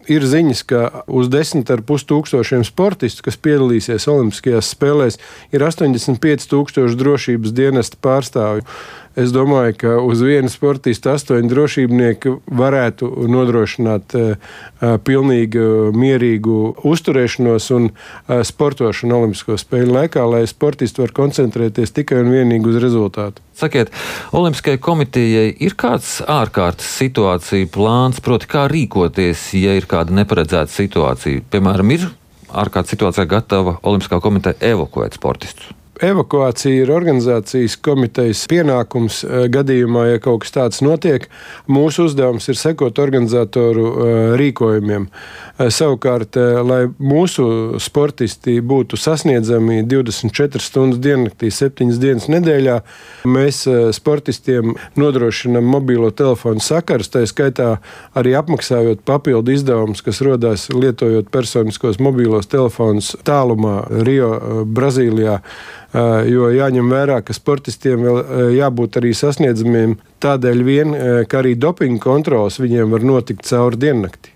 Ir ziņas, ka uz 10,5 tūkstošiem sportistu, kas piedalīsies Olimpiskajās spēlēs, ir 85,000 drošības dienesta pārstāvju. Es domāju, ka uz vienu sportistu 8 drošībnieki varētu nodrošināt pilnīgi mierīgu uzturēšanos un sportošanu Olimpisko spēļu laikā, lai sportisti var koncentrēties tikai un vienīgi uz rezultātu. Sakiet, Olimpiskajai komitejai ir kāds ārkārtas situācija plāns, proti kā rīkoties, ja ir kāda neparedzēta situācija? Piemēram, ir ārkārtas situācijā gatava Olimpiskā komiteja evakuēt sportistus? Evakuācija ir organizācijas komitejas pienākums gadījumā, ja kaut kas tāds notiek. Mūsu uzdevums ir sekot organizatoru rīkojumiem. Savukārt, lai mūsu sportisti būtu sasniedzami 24 stundas diennaktī, 7 dienas nedēļā, mēs sportistiem nodrošinam mobilo telefonu sakarus, tā skaitā arī apmaksājot papildu izdevumus, kas rodās lietojot personiskos mobilos telefonus tālumā Rio, Brazīlijā. Jo jāņem vērā, ka sportistiem vēl jābūt arī sasniedzamiem tādēļ vien, ka arī dopinga kontrols viņiem var notikt cauri diennakti.